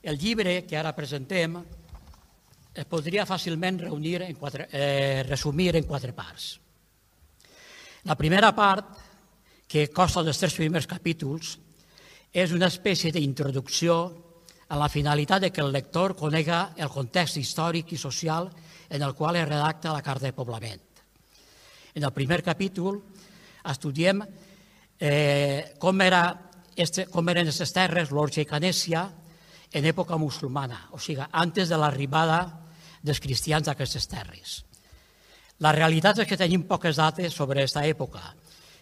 El llibre que ara presentem es podria fàcilment resumir en 4 parts. La primera part, que consta dels 3 primers capítols, és una espècie d'introducció a la finalitat de que el lector conega el context històric i social en el qual es redacta la Carta de Poblament. En el primer capítol estudiem com eren aquestes terres, l'Orge i Canèsia, en època musulmana, o sigui, antes de l'arribada dels cristians a aquestes terres. La realitat és que tenim poques dates sobre aquesta època,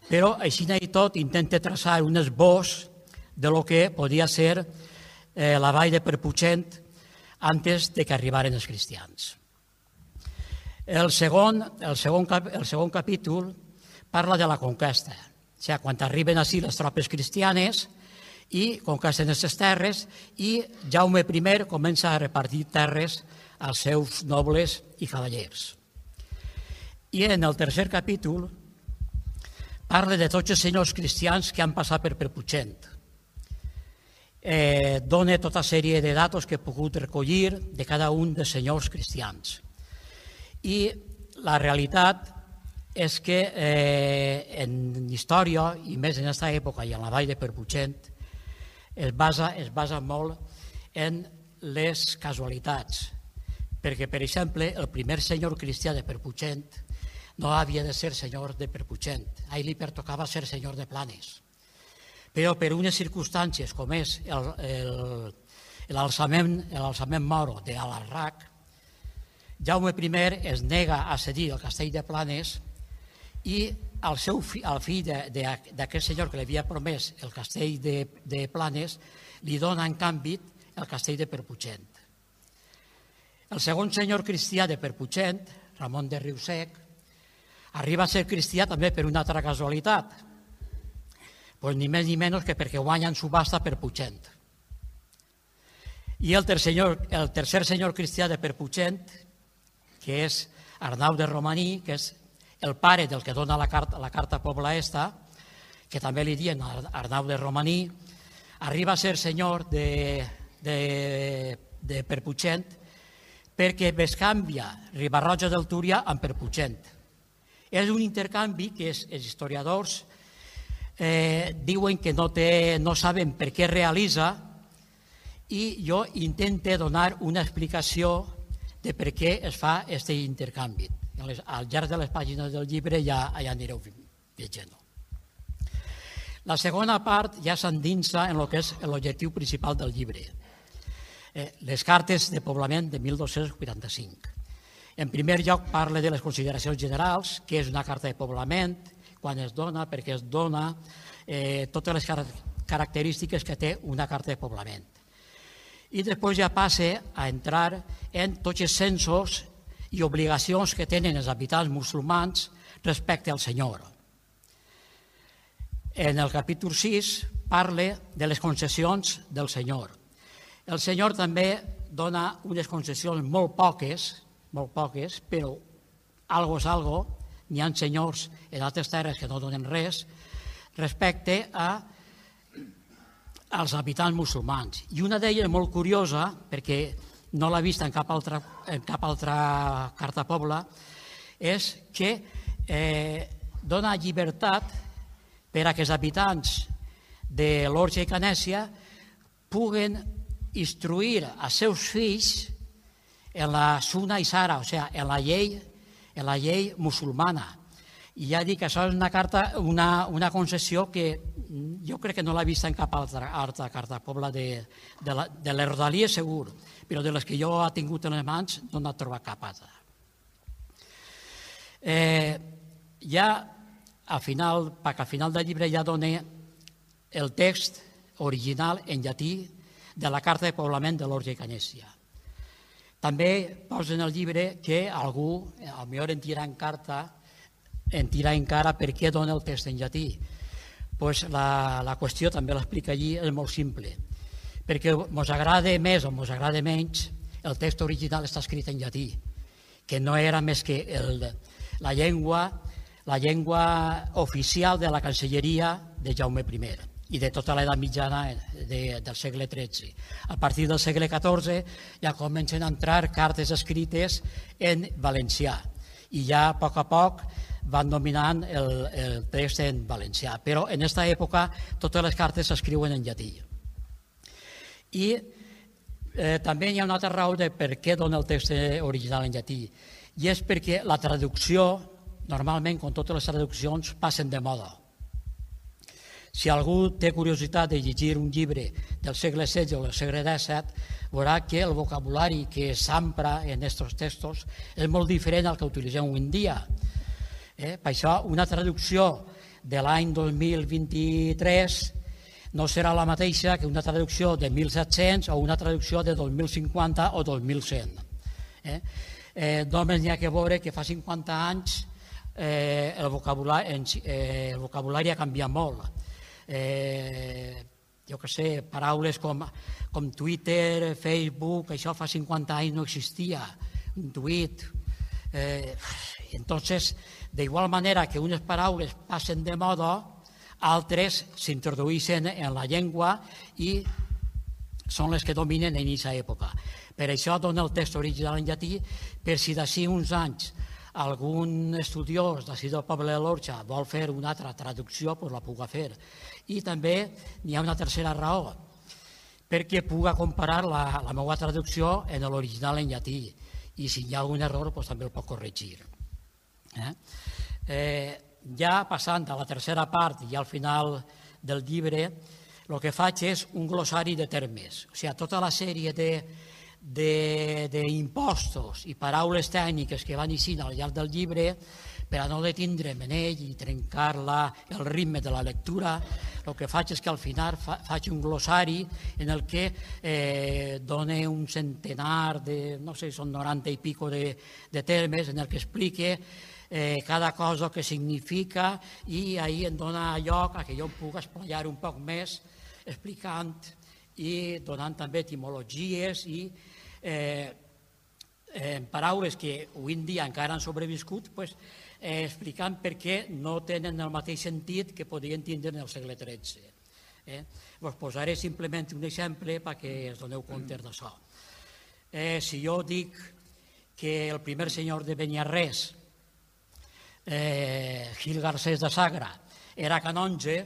però així i tot intenta traçar un esbós de lo que podia ser la vall de Perputxent antes de que arribaren els cristians. El segon capítol parla de la conquesta, o sigui, quan arriben ací les tropes cristianes i conquesten aquestes terres i Jaume I comença a repartir terres als seus nobles i cavallers. I en el tercer capítol parla de tots els senyors cristians que han passat per Perputxent. Dona tota sèrie de datos que he pogut recollir de cada un dels senyors cristians. I la realitat és que en història, i més en aquesta època i en la vall de Perputxent, es basa molt en les casualitats. Perquè, per exemple, el primer senyor cristià de Perputxent no havia de ser senyor de Perputxent. A ell li pertocava ser senyor de Planes. Però per unes circumstàncies com és l'alçament moro d'Alarraq, Jaume I es nega a cedir el castell de Planes i al fill d'aquest senyor que li havia promès el castell de Planes li dona en canvi el castell de Perputxent. El segon senyor cristià de Perputxent, Ramon de Riusec, arriba a ser cristià també per una altra casualitat, ni més ni menys que perquè guanya en subhasta Perputxent. I el tercer senyor cristià de Perputxent, que és Arnau de Romaní, que és el pare del que dona la carta Pobla Esta, que també li diuen Arnau de Romaní, arriba a ser senyor de Perputxent perquè bescanvia Riba-roja del Túria amb Perputxent. És un intercanvi que els historiadors diuen que no saben per què realitza i jo intento donar una explicació de per què es fa aquest intercanvi. Al llarg de les pàgines del llibre ja anireu llegint. La segona part ja s'endinsa en el que és l'objectiu principal del llibre, les cartes de poblament de 1285. En primer lloc parla de les consideracions generals, què és una carta de poblament, quan es dona, per què es dona, totes les característiques que té una carta de poblament. I després ja passa a entrar en tots els censos i obligacions que tenen els habitants musulmans respecte al Senyor. En el capítol 6 parla de les concessions del Senyor. El Senyor també dona unes concessions molt poques, però algo és algo, n'hi ha senyors en altres terres que no donen res, respecte als habitants musulmans. I una d'elles molt curiosa, perquè no l'ha vist en cap altra carta pobla, és que dona llibertat per a que els habitants de l'Orge i Canèsia puguen instruir els seus fills en la Sunna i Sara, o sigui, en la llei musulmana. I ja dic que això és una concessió que jo crec que no l'he vist en cap altra carta pobla de les Rodalies segur, però de les que jo he tingut en les mans no n'he trobat cap altra. Ja al final del llibre ja dona el text original en llatí de la carta de poblament de l'Orge i Canèsia. També posa en el llibre que algú, potser en tira en cara per què dona el text en llatí. La qüestió, també l'explica allí, és molt simple. Perquè ens agrada més o ens agrada menys, el text original està escrit en llatí, que no era més que la llengua oficial de la Cancelleria de Jaume I. i de tota l'edat mitjana del segle XIII. A partir del segle XIV ja comencen a entrar cartes escrites en valencià i ja a poc van dominant el text en valencià. Però en aquesta època totes les cartes s'escriuen en llatí. I també hi ha una altra raó de per què dona el text original en llatí, i és perquè la traducció, normalment, com totes les traduccions, passen de moda. Si algú té curiositat de llegir un llibre del segle XVI o del segle XVII, veurà que el vocabulari que s'empra en aquests textos és molt diferent al que utilitzem avui en dia. Per això, una traducció de l'any 2023 no serà la mateixa que una traducció de 1700 o una traducció de 2050 o 2100. Només n'hi ha que veure que fa 50 anys el vocabulari ha canviat molt. Jo què sé, paraules com Twitter, Facebook, això fa 50 anys no existia, un tuit. Entonces, d'igual manera que unes paraules passen de moda, altres s'introdueixen en la llengua i són les que dominen en aquesta època. Per això dona el text original en llatí, per si d'ací uns anys algun estudiós d'ací del poble de l'Orxa vol fer una altra traducció, doncs la puga fer. I també n'hi ha una tercera raó, perquè puga comparar la meva traducció en l'original en llatí, i si hi ha algun error doncs també el pot corregir. Ja passant a la tercera part i al final del llibre, el que faig és un glossari de termes, o sigui, tota la sèrie d'impostos i paraules tècniques que van eixint al llarg del llibre, per a no detindre'm en ell i trencar el ritme de la lectura, el que faig és que al final faig un glossari en el que dona un centenar de, no sé, són 90 i pico de termes, en el que explique cada cosa que significa, i ahir em dona lloc a que jo em pugui esplaiar un poc més explicant i donant també etimologies i paraules que avui en dia encara han sobreviscut, explicant per què no tenen el mateix sentit que podien tindre en el segle XIII. Us posaré simplement un exemple perquè us doneu compte d'això. Si jo dic que el primer senyor de Beniarrés, Gil Garcés de Sagra, era canonge,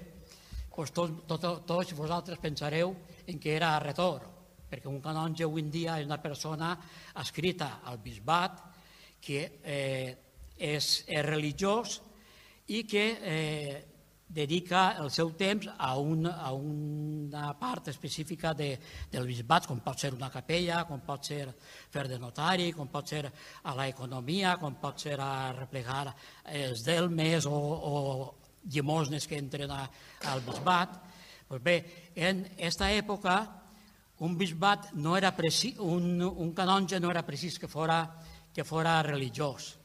tots vosaltres pensareu en que era retor, perquè un canonge avui en dia és una persona adscrita al bisbat, que és religiós i que dedica el seu temps a una part específica del bisbat, com pot ser una capella, com pot ser fer de notari, com pot ser a l'economia, com pot ser a replegar els delmes o llimosnes que entren al bisbat. Doncs bé, en aquesta època un bisbat no era precís, un canonge no era precís que fora religiós.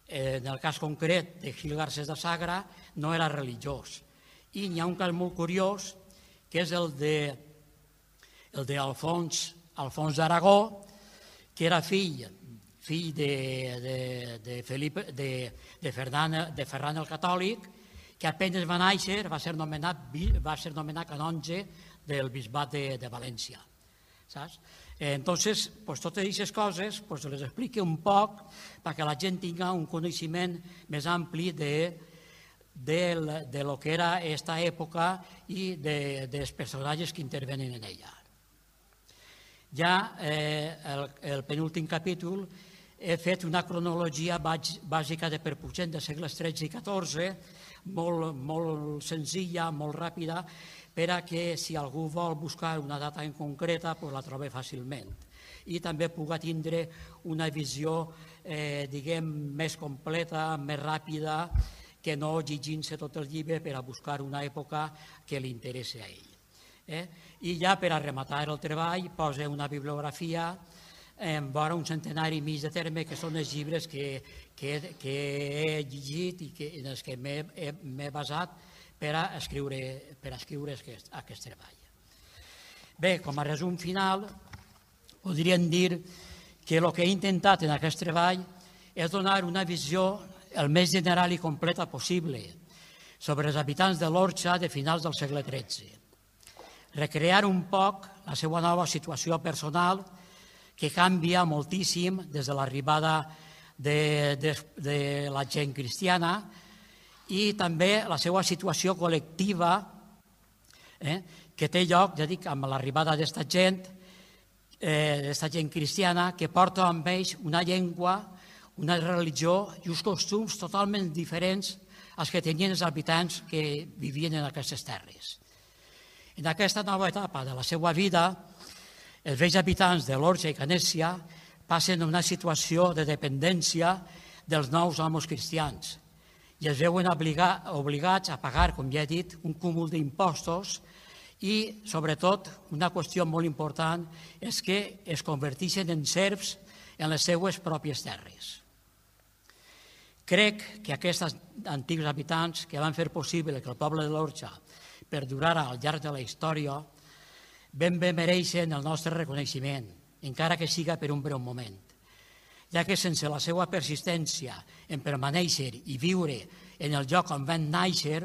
En el cas concret de Gil Garcés de Sagra no era religiós. I n'hi ha un cas molt curiós, que és el d'Alfons d'Aragó, que era fill de Ferran el Catòlic, que apenas va néixer va ser nomenat canonge del bisbat de València. Saps? Entonces, totes aquestes coses les explico un poc perquè la gent tingui un coneixement més ampli de lo que era aquesta època i dels personatges que intervenen en ella. Ja el penúltim capítol he fet una cronologia bàsica de Perpugent de segles XIII i XIV, molt senzilla, molt ràpida, per a que si algú vol buscar una data en concreta la trobi fàcilment i també pugui tindre una visió, diguem, més completa, més ràpida, que no llegint-se tot el llibre per a buscar una època que li interessi a ell. I ja per a rematar el treball posa una bibliografia en vora un centenari i mig de termes, que són els llibres que he llegit i en els que m'he basat per a escriure aquest treball. Bé, com a resum final, podríem dir que el que he intentat en aquest treball és donar una visió el més general i completa possible, sobre els habitants de l'Orxa de finals del segle XIII. Recrear un poc la seva nova situació personal, que canvia moltíssim des de l'arribada de la gent cristiana, i també la seva situació col·lectiva, que té lloc, ja dic, amb l'arribada d'esta gent cristiana, que porta amb ells una llengua, una religió i uns costums totalment diferents als que tenien els habitants que vivien en aquestes terres. En aquesta nova etapa de la seva vida, els vells habitants de l'Orxa i Canèsia passen a una situació de dependència dels nous amos cristians i es veuen obligats a pagar, com ja he dit, un cúmul d'impostos i, sobretot, una qüestió molt important és que es converteixen en serfs en les seues pròpies terres. Crec que aquests antics habitants que van fer possible que el poble de l'Orxa perdurara al llarg de la història ben bé mereixen el nostre reconeixement, encara que siga per un breu moment, ja que sense la seva persistència en permanèixer i viure en el lloc on van néixer,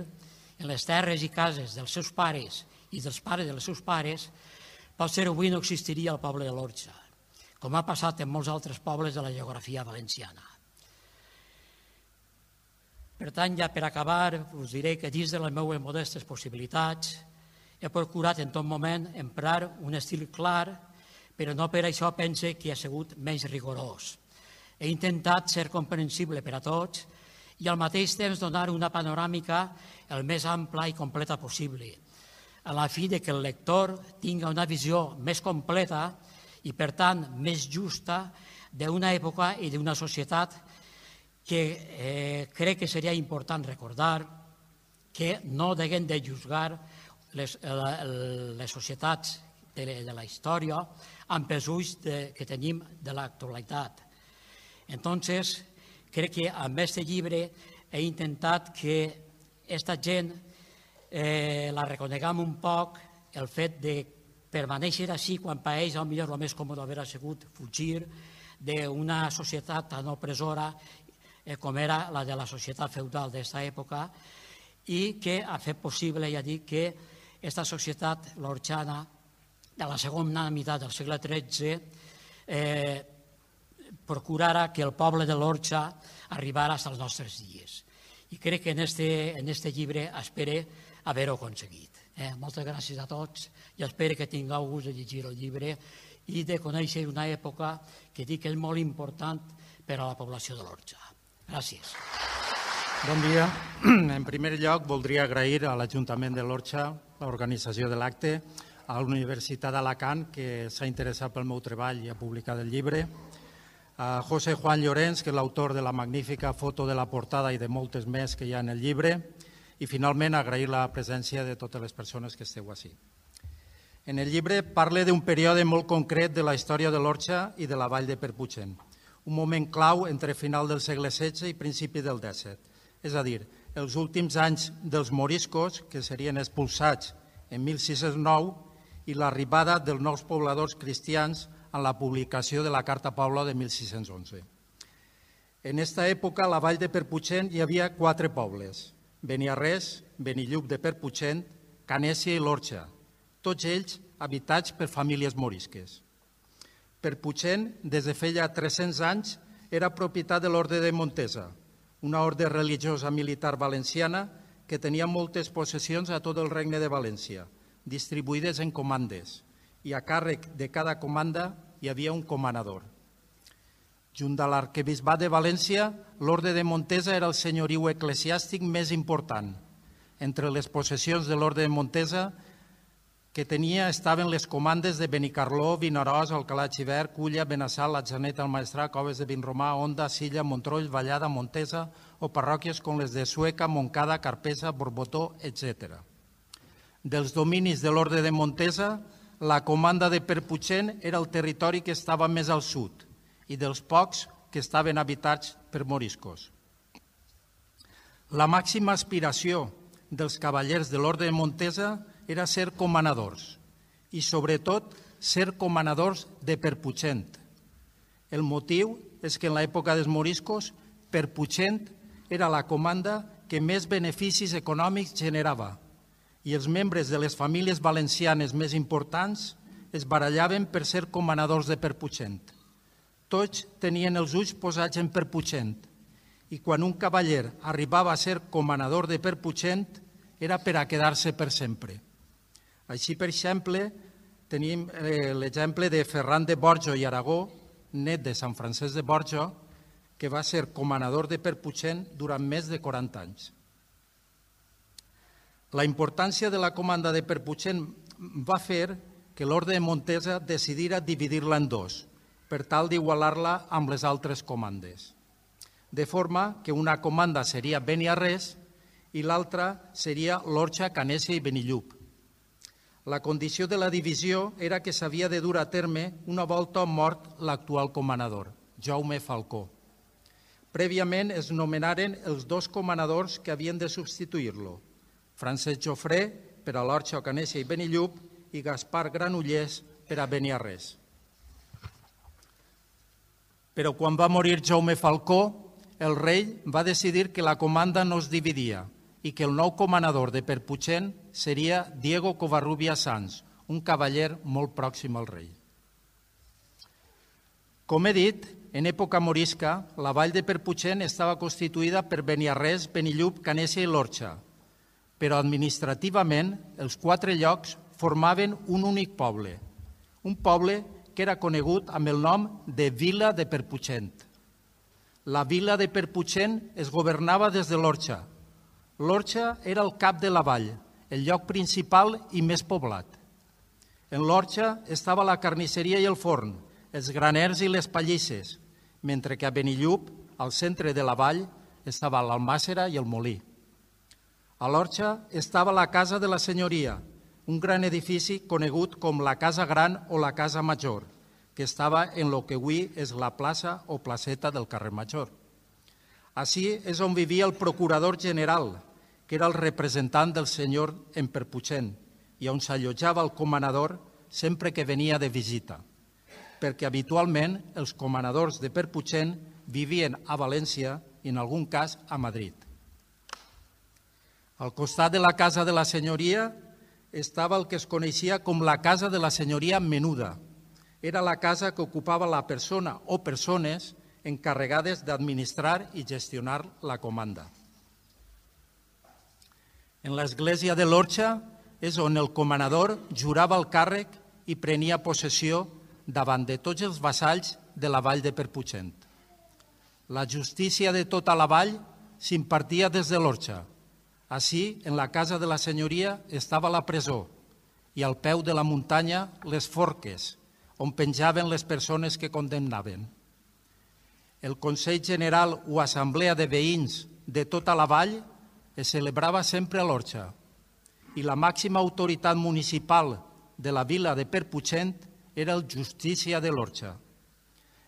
en les terres i cases dels seus pares i dels pares dels seus pares, potser avui no existiria el poble de l'Orxa, com ha passat en molts altres pobles de la geografia valenciana. Per tant, ja per acabar, us diré que dins de les meves modestes possibilitats he procurat en tot moment emprar un estil clar, però no per això pense que ha sigut menys rigorós. He intentat ser comprensible per a tots i al mateix temps donar una panoràmica el més ampla i completa possible, a la fi de que el lector tingui una visió més completa i, per tant, més justa d'una època i d'una societat que crec que seria important recordar que no deguem de juzgar les societats de la història amb els ulls que tenim de l'actualitat. Entonces, crec que amb aquest llibre he intentat que aquesta gent la reconeguem un poc, el fet de permanèixer així quan per ells potser el més còmode hauria sigut fugir d'una societat tan opressora com era la de la societat feudal d'aquesta època i que ha fet possible, ja dic, que aquesta societat l'orxana de la segona meitat del segle XIII procurara que el poble de l'Orxa arribara als nostres dies. I crec que en este llibre espero haver-ho aconseguit. Moltes gràcies a tots i espero que tingueu gust de llegir el llibre i de conèixer una època que dic que és molt important per a la població de l'Orxa. Gràcies. Bon dia. En primer lloc, voldria agrair a l'Ajuntament de l'Orxa l'organització de l'acte, a la Universitat d'Alacant, que s'ha interessat pel meu treball i ha publicat el llibre, a José Juan Llorens, que és l'autor de la magnífica foto de la portada i de moltes més que hi ha en el llibre, i finalment agrair la presència de totes les persones que esteu ací. En el llibre parle d'un període molt concret de la història de l'Orxa i de la vall de Perputxent, un moment clau entre final del segle XVI i principi del XVII, és a dir, els últims anys dels moriscos, que serien expulsats en 1609, i l'arribada dels nous pobladors cristians en la publicació de la Carta Paula de 1611. En aquesta època, a la vall de Perputxent hi havia 4 pobles: Beniarrés, Benillup de Perputxent, Canèsia i l'Orxa, tots ells habitats per famílies morisques. Perputxent, des de feia 300 anys, era propietat de l'Orde de Montesa, una orde religiosa militar valenciana que tenia moltes possessions a tot el regne de València, distribuïdes en comandes, i a càrrec de cada comanda hi havia un comanador. Junt a l'arquebisbat de València, l'Orde de Montesa era el senyoriu eclesiàstic més important. Entre les possessions de l'Orde de Montesa que tenia estaven les comandes de Benicarló, Vinaròs, Alcalà de Xivert, Culla, Benassal, Atzeneta, Almaestrat, Coves de Vinromà, Onda, Silla, Montroll, Vallada, Montesa o parròquies com les de Sueca, Montcada, Carpesa, Borbotó, etc. Dels dominis de l'Orde de Montesa, la comanda de Perputxent era el territori que estava més al sud i dels pocs que estaven habitats per moriscos. La màxima aspiració dels cavallers de l'Orde de Montesa era ser comanadors i, sobretot, ser comanadors de Perputxent. El motiu és que en l'època dels moriscos, Perputxent era la comanda que més beneficis econòmics generava i els membres de les famílies valencianes més importants es barallaven per ser comanadors de Perputxent. Tots tenien els ulls posats en Perputxent i quan un cavaller arribava a ser comanador de Perputxent era per a quedar-se per sempre. Així, per exemple, tenim l'exemple de Ferran de Borjo i Aragó, net de Sant Francesc de Borja, que va ser comanador de Perputxent durant més de 40 anys. La importància de la comanda de Perputxent va fer que l'Orde de Montesa decidira dividir-la en dos, per tal d'igualar-la amb les altres comandes. De forma que una comanda seria Beniarrés i l'altra seria l'Orxa, Canessa i Benillup. La condició de la divisió era que s'havia de dur a terme una volta mort l'actual comanador, Jaume Falcó. Prèviament es nomenaren els dos comanadors que havien de substituir-lo, Francesc Jofré per a l'Orxa, Canessa i Benillup i Gaspar Granollers per a Beniarrés. Però quan va morir Jaume Falcó, el rei va decidir que la comanda no es dividia i que el nou comanador de Perputxent seria Diego Covarrubias Sanz, un cavaller molt pròxim al rei. Com he dit, en època morisca, la vall de Perputxent estava constituïda per Beniarrés, Benillup, Canessa i l'Orxa, però administrativament els 4 llocs formaven un únic poble, un poble que era conegut amb el nom de Vila de Perputxent. La vila de Perputxent es governava des de l'Orxa. L'Orxa era el cap de la vall, el lloc principal i més poblat. En l'Orxa estava la carnisseria i el forn, els graners i les pallisses, mentre que a Benillup, al centre de la vall, estava l'almàssera i el molí. A l'Orxa estava la Casa de la Senyoria, un gran edifici conegut com la Casa Gran o la Casa Major, que estava en el que avui és la plaça o placeta del carrer Major. Així és on vivia el procurador general, que era el representant del senyor en Perputxent, i on s'allotjava el comanador sempre que venia de visita, perquè habitualment els comanadors de Perputxent vivien a València i en algun cas a Madrid. Al costat de la Casa de la Senyoria estava el que es coneixia com la Casa de la Senyoria Menuda. Era la casa que ocupava la persona o persones encarregades d'administrar i gestionar la comanda. En l'església de l'Orxa és on el comanador jurava el càrrec i prenia possessió davant de tots els vassalls de la vall de Perputxent. La justícia de tota la vall s'impartia des de l'Orxa. Així, en la Casa de la Senyoria estava la presó i al peu de la muntanya les forques, on penjaven les persones que condemnaven. El Consell General o Assemblea de Veïns de tota la vall es celebrava sempre a l'Orxa i la màxima autoritat municipal de la vila de Perputxent era el Justícia de l'Orxa.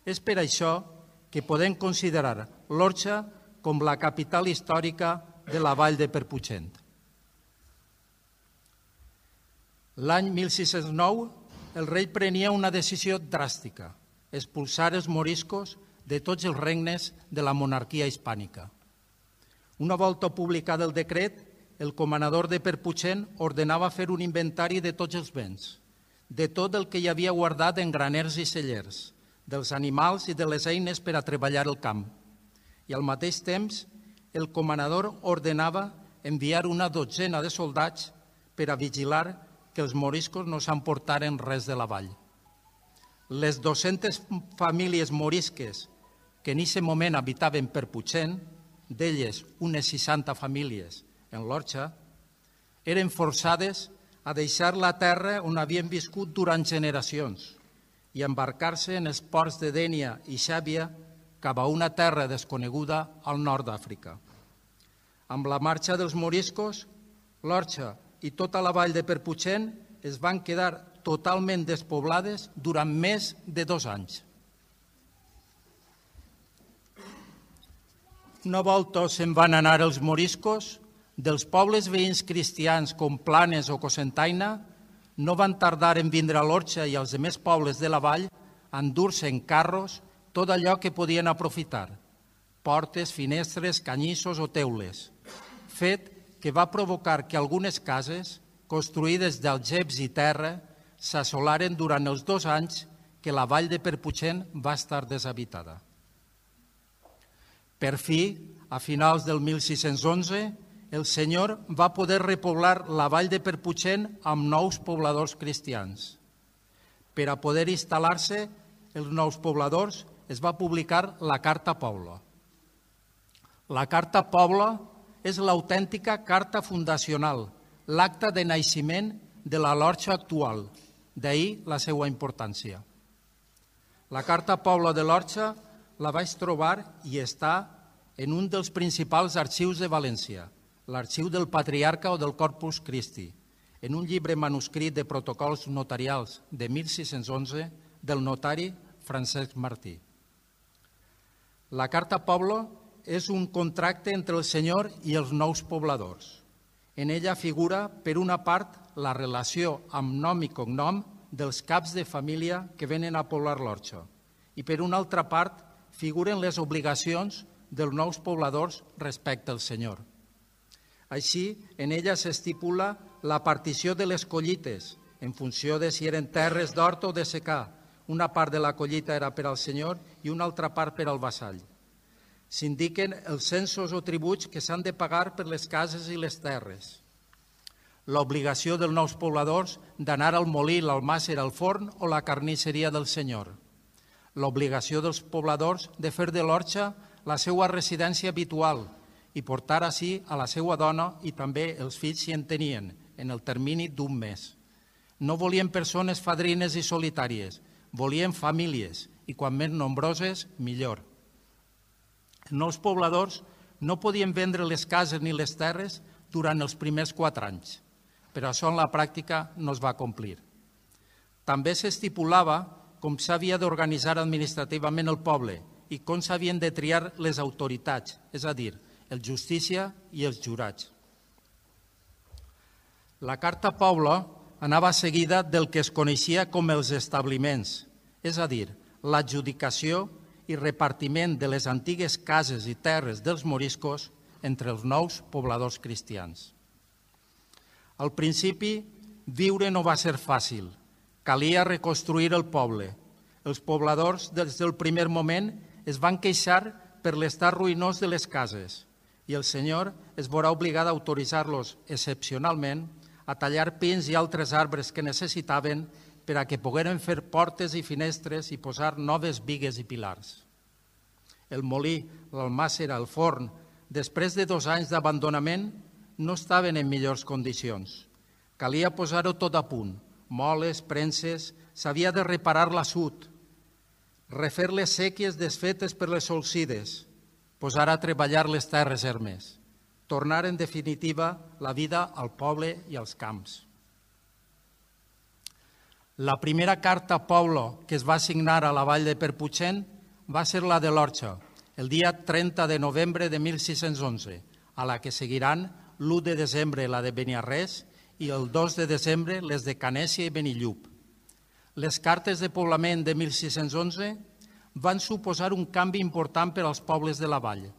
És per això que podem considerar l'Orxa com la capital històrica de la vall de Perputxent. L'any 1609, el rei prenia una decisió dràstica, expulsar els moriscos de tots els regnes de la monarquia hispànica. Una volta publicat el decret, el comanador de Perputxent ordenava fer un inventari de tots els béns, de tot el que hi havia guardat en graners i cellers, dels animals i de les eines per a treballar el camp. I al mateix temps, el comanador ordenava enviar una dotzena de soldats per a vigilar que els moriscos no s'emportaren res de la vall. Les 200 famílies morisques que en aquest moment habitaven Perputxent, d'elles unes 60 famílies en l'Orxa, eren forçades a deixar la terra on havien viscut durant generacions i embarcar-se en els ports de Dénia i Xàbia cap a una terra desconeguda al nord d'Àfrica. Amb la marxa dels moriscos, l'Orxa i tota la vall de Perputxent es van quedar totalment despoblades durant més de 2 anys. Una volta se'n van anar els moriscos, dels pobles veïns cristians com Planes o Cocentaina, no van tardar en vindre a l'Orxa i als altres pobles de la vall a endur-se en carros tot allò que podien aprofitar, portes, finestres, canyissos o teules, fet que va provocar que algunes cases, construïdes d'algeps i terra, s'assolaren durant els 2 anys que la vall de Perputxent va estar deshabitada. Per fi, a finals del 1611, el Senyor va poder repoblar la vall de Perputxent amb nous pobladors cristians. Per a poder instal·lar-se els nous pobladors, es va publicar la Carta Pobla. La Carta Pobla és l'autèntica carta fundacional, l'acta de naixement de la Lorxa actual, d'ahir la seva importància. La Carta Pobla de l'Orxa la vaig trobar i està en un dels principals arxius de València, l'Arxiu del Patriarca o del Corpus Christi, en un llibre manuscrit de protocols notarials de 1611 del notari Francesc Martí. La Carta Pobla és un contracte entre el Senyor i els nous pobladors. En ella figura, per una part, la relació amb nom i cognom dels caps de família que venen a poblar l'Orxa i, per una altra part, figuren les obligacions dels nous pobladors respecte al Senyor. Així, en ella s'estipula la partició de les collites, en funció de si eren terres d'hort o de secà. Una part de la collita era per al Senyor i una altra part per al vassall. S'indiquen els censos o tributs que s'han de pagar per les cases i les terres. L'obligació dels nous pobladors d'anar al molí, l'almàsser, al forn o la carnisseria del Senyor. L'obligació dels pobladors de fer de l'Orxa la seva residència habitual i portar ací a la seva dona i també els fills si en tenien, en el termini d'1 mes. No volien persones fadrines i solitàries, volien famílies i quan més nombroses, millor. Els nous pobladors no podien vendre les cases ni les terres durant els primers 4 anys, però això en la pràctica no es va complir. També s'estipulava com s'havia d'organitzar administrativament el poble i com s'havien de triar les autoritats, és a dir, el justícia i els jurats. La Carta Pobla anava seguida del que es coneixia com els establiments, és a dir, l'adjudicació i repartiment de les antigues cases i terres dels moriscos entre els nous pobladors cristians. Al principi, viure no va ser fàcil. Calia reconstruir el poble. Els pobladors, des del primer moment, es van queixar per l'estat ruïnós de les cases i el Senyor es veurà obligat a autoritzar-los excepcionalment a tallar pins i altres arbres que necessitaven per a que pogueren fer portes i finestres i posar noves bigues i pilars. El molí, l'almàsser, el forn, després de 2 anys d'abandonament, no estaven en millors condicions. Calia posar-ho tot a punt, moles, premses, s'havia de reparar l'assut, refer les sèquies desfetes per les solsides, posar a treballar les terres ermes, tornar en definitiva la vida al poble i als camps. La primera carta Pobla que es va signar a la vall de Perputxent va ser la de l'Orxa, el dia 30 de novembre de 1611, a la que seguiran l'1 de desembre la de Beniarrés i el 2 de desembre les de Canèsia i Benillup. Les cartes de poblament de 1611 van suposar un canvi important per als pobles de la vall.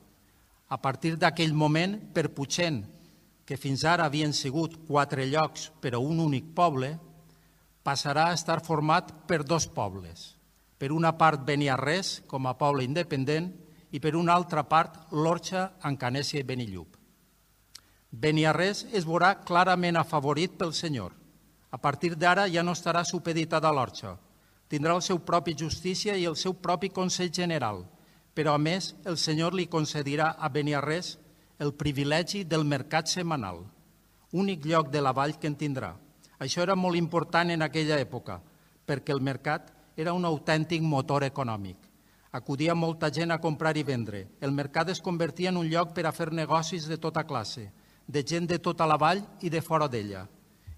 A partir d'aquell moment, Perputxent, que fins ara havien sigut 4 llocs per a un únic poble, passarà a estar format per 2 pobles. Per una part Beniarrés, com a poble independent, i per una altra part l'Orxa amb Canèsia i Benillup. Beniarrés es veurà clarament afavorit pel Senyor. A partir d'ara ja no estarà supeditada a l'Orxa. Tindrà el seu propi justícia i el seu propi Consell General, però a més el Senyor li concedirà a Beniarrés el privilegi del mercat setmanal, únic lloc de la vall que en tindrà. Això era molt important en aquella època, perquè el mercat era un autèntic motor econòmic. Acudia molta gent a comprar i vendre. El mercat es convertia en un lloc per a fer negocis de tota classe, de gent de tota la vall i de fora d'ella.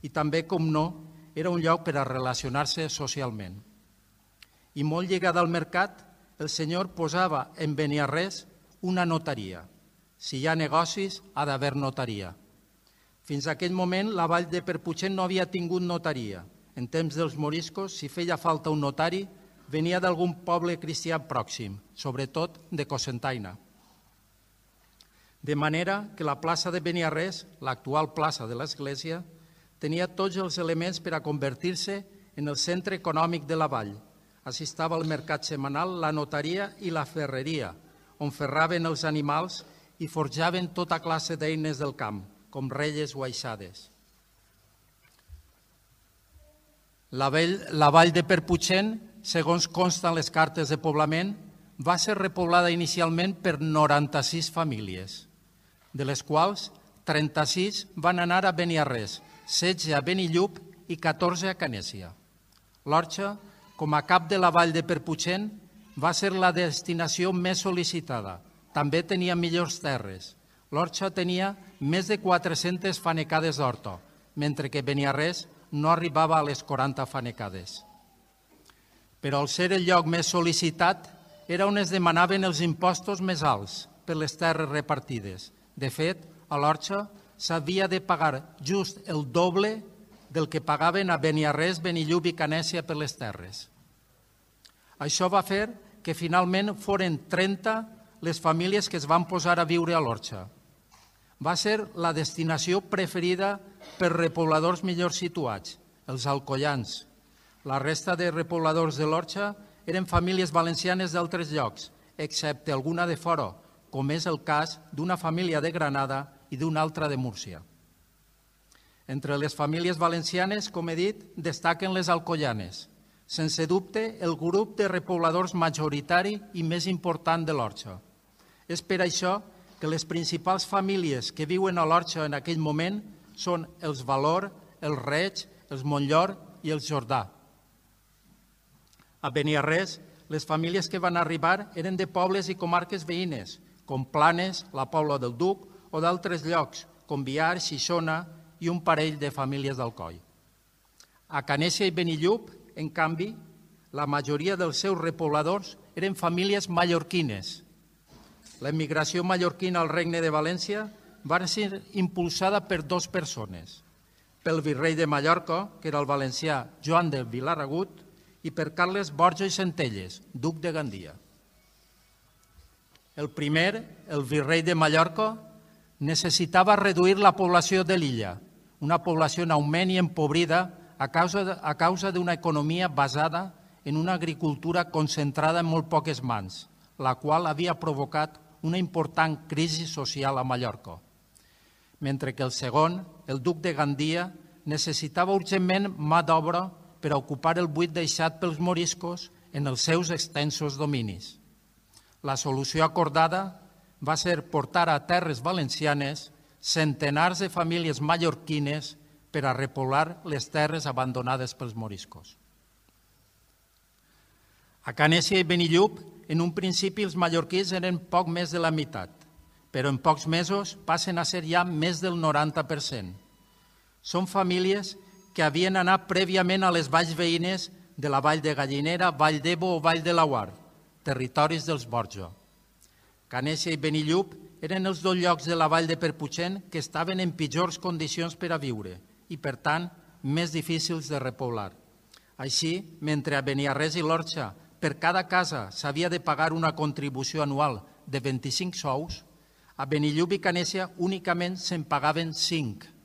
I també, com no, era un lloc per a relacionar-se socialment. I molt lligat al mercat, el Senyor posava en Beniarrés una notaria. Si hi ha negocis, ha d'haver notaria. Fins a aquell moment, la vall de Perputxent no havia tingut notaria. En temps dels moriscos, si feia falta un notari, venia d'algun poble cristià pròxim, sobretot de Cocentaina. de manera que la plaça de Beniarrés, l'actual plaça de l'església, tenia tots els elements per a convertir-se en el centre econòmic de la vall. Així estava el mercat setmanal, la notaria i la ferreria, on ferraven els animals i forjaven tota classe d'eines del camp, com relles o aixades. La vall de Perputxent, segons consten les cartes de poblament, va ser repoblada inicialment per 96 famílies, de les quals 36 van anar a Beniarrés, 16 a Benillup i 14 a Canèsia. L'Orxa, com a cap de la vall de Perputxent, va ser la destinació més sol·licitada. També tenia millors terres. L'Orxa tenia més de 400 fanecades d'horta, mentre que Beniarrés no arribava a les 40 fanecades. Però al ser el lloc més sol·licitat, era on es demanaven els impostos més alts per les terres repartides. De fet, a l'Orxa s'havia de pagar just el doble del que pagaven a Beniarrés, Benillup i Canèsia per les terres. Això va fer que finalment foren 30 les famílies que es van posar a viure a l'Orxa. Va ser la destinació preferida per repobladors millor situats, els alcoians. La resta de repobladors de l'Orxa eren famílies valencianes d'altres llocs, excepte alguna de fora, com és el cas d'una família de Granada i d'una altra de Múrcia. Entre les famílies valencianes, com he dit, destaquen les alcoianes. Sense dubte, el grup de repobladors majoritari i més important de l'Orxa. És per això que les principals famílies que viuen a l'Orxa en aquell moment són els Valor, els Reig, els Montllor i els Jordà. A Beniarrés, les famílies que van arribar eren de pobles i comarques veïnes, com Planes, la Pobla del Duc o d'altres llocs, com Biar, Xixona i un parell de famílies d'Alcoi. A Canèsia i Benillup, en canvi, la majoria dels seus repobladors eren famílies mallorquines. L'emigració mallorquina al Regne de València va ser impulsada per dues persones, pel virrei de Mallorca, que era el valencià Joan de Vilaragut, i per Carles Borja i Centelles, duc de Gandia. El primer, el virrei de Mallorca, necessitava reduir la població de l'illa, una població en augment i empobrida a causa d'una economia basada en una agricultura concentrada en molt poques mans, la qual havia provocat una important crisi social a Mallorca. Mentre que el segon, el duc de Gandia, necessitava urgentment mà d'obra per a ocupar el buit deixat pels moriscos en els seus extensos dominis. La solució acordada va ser portar a terres valencianes centenars de famílies mallorquines per a repoblar les terres abandonades pels moriscos. A Canèsia i Benillup, en un principi els mallorquins eren poc més de la meitat, però en pocs mesos passen a ser ja més del 90%. Són famílies que havien anat prèviament a les valls veïnes de la Vall de Gallinera, Vall d'Ebo o Vall de Laguar, territoris dels Borja. Canèsia i Benillup eren els dos llocs de la Vall de Perputxent que estaven en pitjors condicions per a viure i, per tant, més difícils de repoblar. Així, mentre a Beniarrés i l'Orxa per cada casa s'havia de pagar una contribució anual de 25 sous, a Benillup i Canèsia únicament se'n pagaven 5,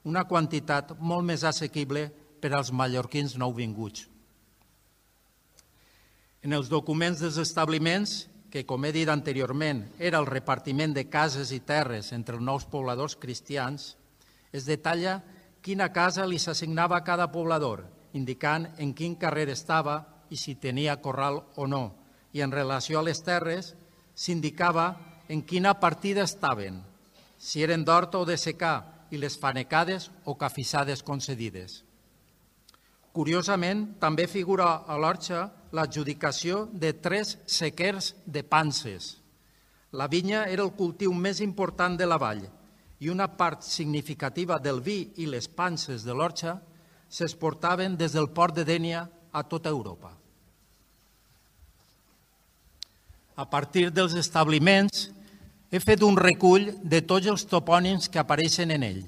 una quantitat molt més assequible per als mallorquins nouvinguts. En els documents dels establiments, que, com he dit anteriorment, era el repartiment de cases i terres entre els nous pobladors cristians, es detalla quina casa li s'assignava a cada poblador, indicant en quin carrer estava i si tenia corral o no, i en relació a les terres s'indicava en quina partida estaven, si eren d'horta o de secà, i les fanecades o cafissades concedides. Curiosament, també figura a l'Orxa l'adjudicació de 3 sequers de panses. La vinya era el cultiu més important de la vall i una part significativa del vi i les panses de l'Orxa s'exportaven des del port de Dénia a tota Europa. A partir dels establiments, he fet un recull de tots els topònims que apareixen en ell.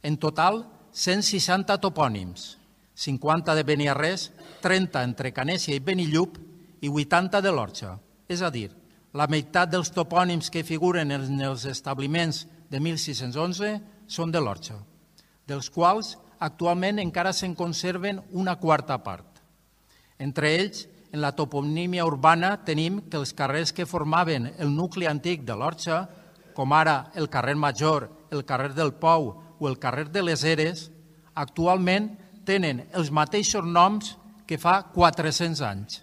En total, 160 topònims, 50 de Beniarrés, 30 entre Canèsia i Benillup i 80 de l'Orxa. És a dir, La meitat dels topònims que figuren en els establiments de 1611 són de l'Orxa, dels quals actualment encara se'n conserven una quarta part. Entre ells, en la toponímia urbana tenim que els carrers que formaven el nucli antic de l'Orxa, com ara el carrer Major, el carrer del Pou o el carrer de les Eres, actualment tenen els mateixos noms que fa 400 anys.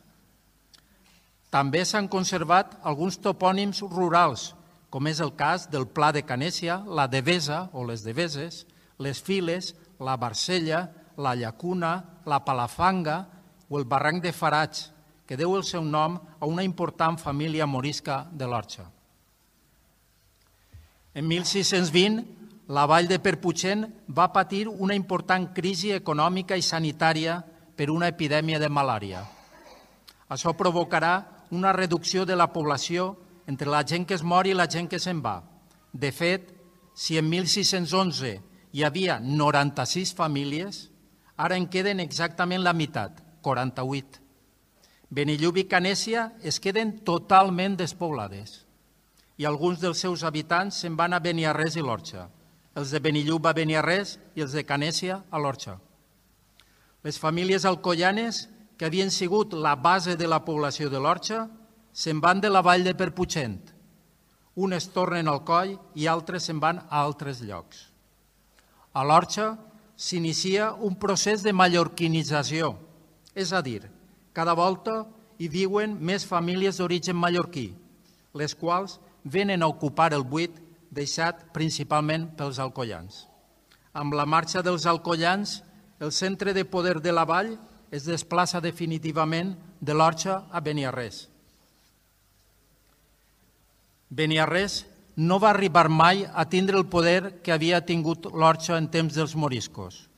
També s'han conservat alguns topònims rurals, com és el cas del Pla de Canèsia, la Devesa o les Deveses, les Files, la Barcella, la Llacuna, la Palafanga o el Barranc de Faraig, que deu el seu nom a una important família morisca de l'Orxa. En 1620, la vall de Perputxent va patir una important crisi econòmica i sanitària per una epidèmia de malària. Això provocarà una reducció de la població entre la gent que es mor i la gent que se'n va. De fet, si en 1611 hi havia 96 famílies, ara en queden exactament la meitat, 48. Benillup i Canèsia es queden totalment despoblades i alguns dels seus habitants se'n van a Beniarrés i l'Orxa. Els de Benillup a Beniarrés i els de Canèsia a l'Orxa. Les famílies alcoianes, que havien sigut la base de la població de l'Orxa, se'n van de la vall de Perputxent. Unes tornen al Coll i altres se'n van a altres llocs. A l'Orxa s'inicia un procés de mallorquinització, és a dir, cada volta hi viuen més famílies d'origen mallorquí, les quals venen a ocupar el buit deixat principalment pels alcoians. Amb la marxa dels alcoians, el centre de poder de la vall es desplaça definitivament de l'Orxa a Beniarrés. Beniarrés no va arribar mai a tindre el poder que havia tingut l'Orxa en temps dels moriscos,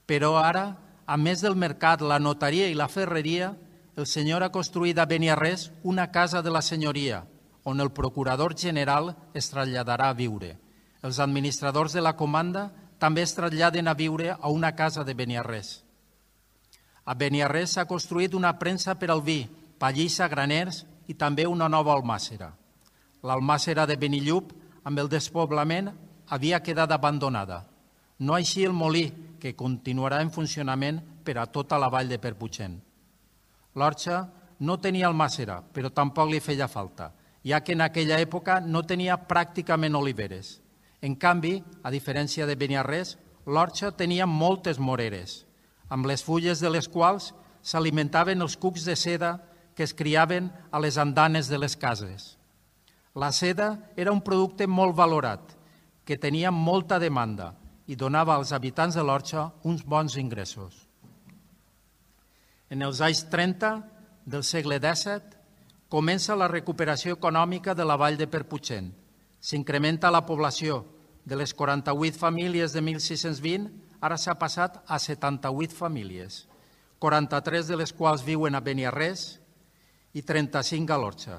però ara, a més del mercat, la notaria i la ferreria, el senyor ha construït a Beniarrés una casa de la senyoria, on el procurador general es traslladarà a viure. Els administradors de la comanda també es traslladen a viure a una casa de Beniarrés. A Beniarrés s'ha construït una premsa per al vi, pallissa, graners i també una nova almàssera. L'almàssera de Benillup, amb el despoblament, havia quedat abandonada. No així el molí, que continuarà en funcionament per a tota la vall de Perputxent. L'Orxa no tenia almàssera, però tampoc li feia falta, ja que en aquella època no tenia pràcticament oliveres. En canvi, a diferència de Beniarrés, l'Orxa tenia moltes moreres, amb les fulles de les quals s'alimentaven els cucs de seda que es criaven a les andanes de les cases. La seda era un producte molt valorat, que tenia molta demanda i donava als habitants de l'Orxa uns bons ingressos. En els anys 30 del segle XVII comença la recuperació econòmica de la vall de Perputxent. S'incrementa la població. De les 48 famílies de 1620, ara s'ha passat a 78 famílies, 43 de les quals viuen a Beniarrés i 35 a l'Orxa.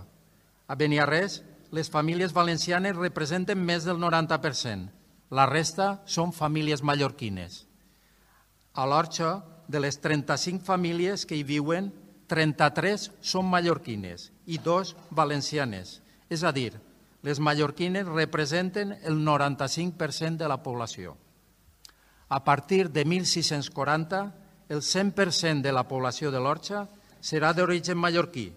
A Beniarrés, les famílies valencianes representen més del 90%. La resta són famílies mallorquines. A l'Orxa, de les 35 famílies que hi viuen, 33 són mallorquines i 2 valencianes. És a dir, les mallorquines representen el 95% de la població. A partir de 1640, el 100% de la població de l'Orxa serà d'origen mallorquí,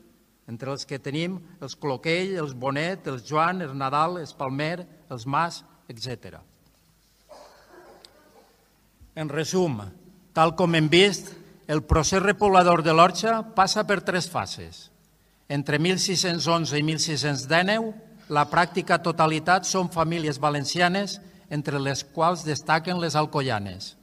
entre els que tenim els Cloquell, els Bonet, els Joan, els Nadal, els Palmer, els Mas, etc. En resum, tal com hem vist, el procés repoblador de l'Orxa passa per 3 fases. Entre 1611 i 1619, la pràctica totalitat són famílies valencianes, entre les quals destaquen les alcoianes.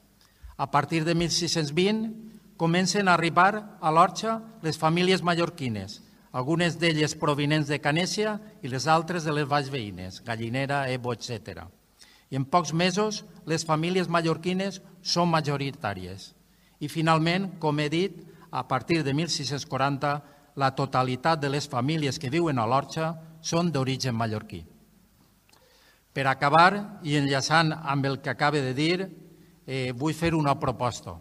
A partir de 1620 comencen a arribar a l'Orxa les famílies mallorquines, algunes d'elles provinents de Canèsia i les altres de les valls veïnes, Gallinera, Ebo, etc. I en pocs mesos les famílies mallorquines són majoritàries. I finalment, com he dit, a partir de 1640, la totalitat de les famílies que viuen a l'Orxa són d'origen mallorquí. Per acabar, i enllaçant amb el que acaba de dir, vull fer una proposta.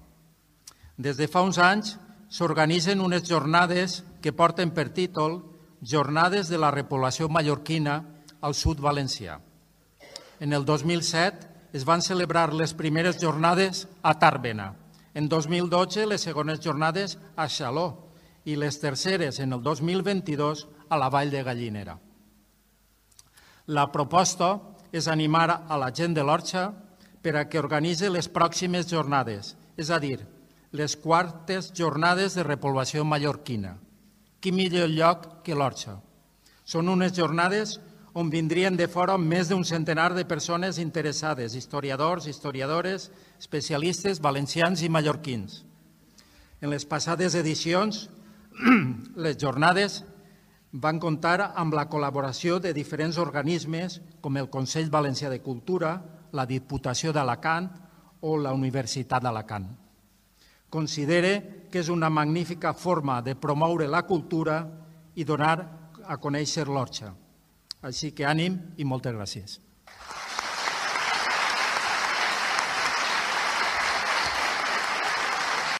Des de fa uns anys s'organitzen unes jornades que porten per títol Jornades de la repoblació mallorquina al sud valencià. En el 2007 es van celebrar les primeres jornades a Tàrbena. En 2012 les segones jornades a Xaló i les terceres en el 2022 a la Vall de Gallinera. La proposta és animar a la gent de l'Orxa per a que organitzi les pròximes jornades, és a dir, les quartes jornades de repoblació mallorquina. Quin millor lloc que l'Orxa. Són unes jornades on vindrien de fora més d'un centenar de persones interessades, historiadors, historiadores, especialistes, valencians i mallorquins. En les passades edicions, les jornades van comptar amb la col·laboració de diferents organismes com el Consell Valencià de Cultura, la Diputació d'Alacant o la Universitat d'Alacant. Considere que és una magnífica forma de promoure la cultura i donar a conèixer l'Orxa. Així que ànim i moltes gràcies.